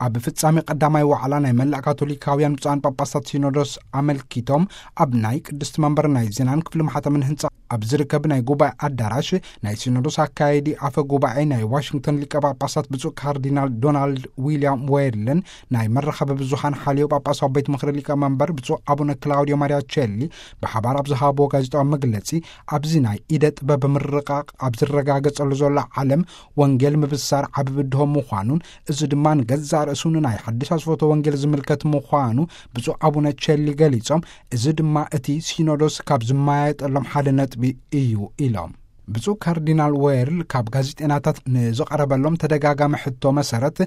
ኣብ ፍጻሜ ቀዳማይ ዋዕላ ናይ መላእ ካቶሊካውያን ብፁዓን ጳጳሳት ሲኖዶስ ኣመልኪቶም፣ ኣብ ናይ ቅድስቲ መንበር ናይ ዜናን ክፍሊ ማሕተምን ህንጻ ኣብ ዝርከብ ናይ ጉባኤ ኣዳራሽ፣ ናይ ሲኖዶስ ኣካየዲ ኣፈ ጉባኤ ናይ ዋሽንግተን ሊቀ ጳጳሳት ብፁዕ ካርዲናል ዶናልድ ዊልያም ዌርልን፣ ናይ መራኸቢ ብዙሃን ሓልዮ ጳጳሳዊ ቤት ምኽሪ ሊቀ መንበር ብፁዕ ኣቡነ ክላውዲዮ ማሪያ ቸሊ ብሓባር ኣብ ዝሃብዎ ጋዜጣዊ መግለጺ፣ ኣብዚ ናይ ኢደ ጥበብ ምርቃቕ ኣብ ዝረጋገጸሉ ዘሎ ዓለም፣ ወንጌል ምብሳር ዓቢ ብድሆ ምዃኑን፣ እዚ ድማ ንገዛእ ርእሱ ንናይ ሓድሽ ኣስፈቶ ወንጌል ዝምልከት ምዃኑ ብፁዕ ኣቡነ ቸሊ ገሊጾም፣ እዚ ድማ እቲ ሲኖዶስ ካብ ዝመያየጠሎም ሓደ ነጥቢ እዩ ኢሎም። ብፁዕ ካርዲናል ዌርል ካብ ጋዜጠናታት ንዝቐረበሎም ተደጋጋሚ ሕቶ መሰረት፣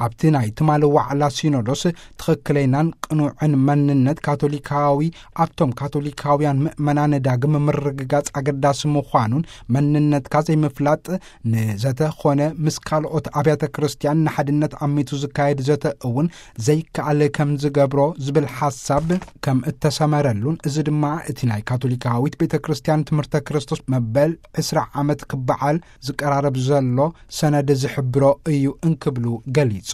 ኣብቲ ናይ ትማሊ ዋዕላ ሲኖዶስ ትኽክለይናን ቅኑዕን መንነት ካቶሊካዊ፣ ኣብቶም ካቶሊካውያን ምእመናን ዳግም ምርግጋጽ ኣገዳሲ ምዃኑን፣ መንነትካ ዘይምፍላጥ ንዘተ ኾነ ምስ ካልኦት ኣብያተ ክርስቲያን ንሓድነት ኣሚቱ ዝካየድ ዘተ እውን ዘይከኣል ከም ዝገብሮ ዝብል ሓሳብ ከም እተሰመረሉን፣ እዚ ድማ እቲ ናይ ካቶሊካዊት ቤተ ክርስቲያን ትምህርተ ክርስቶስ መበል ዕስራ ዓመት ክበዓል ዝቀራረብ ዘሎ ሰነድ ዝሕብሮ እዩ እንክብሉ ገሊጾም።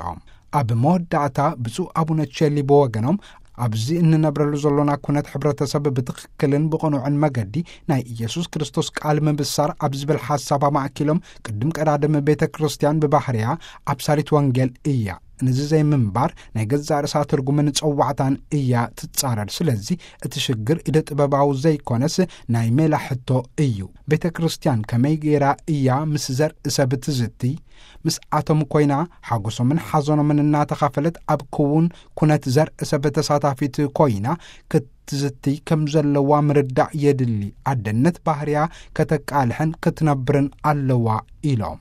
ኣብ መወዳእታ ብፁዕ ኣቡነ ቸሊ ብወገኖም፣ ኣብዚ እንነብረሉ ዘሎና ኩነት ሕብረተሰብ ብትኽክልን ብቕኑዕን መገዲ ናይ ኢየሱስ ክርስቶስ ቃል ምብሳር ኣብ ዝብል ሓሳብ ኣማእኪሎም፣ ቅድም ቀዳድም ቤተ ክርስቲያን ብባህርያ ኣብሳሪት ወንጌል እያ። ነዚ ዘይምንባር ናይ ገዛእ ርእሳ ትርጉምን ጸዋዕታን እያ ትጻረር። ስለዚ እቲ ሽግር ኢደ ጥበባዊ ዘይኮነስ ናይ ሜላ ሕቶ እዩ። ቤተ ክርስቲያን ከመይ ገይራ እያ ምስ ዘርኢ ሰብ ትዝቲ? ምስ ኣቶም ኮይና ሓጎሶምን ሓዘኖምን እናተኻፈለት ኣብ ክውን ኩነት ዘርኢ ሰብ ተሳታፊት ኮይና ክትዝቲ ከም ዘለዋ ምርዳእ የድሊ። ኣደነት ባህርያ ከተቃልሕን ክትነብርን ኣለዋ ኢሎም።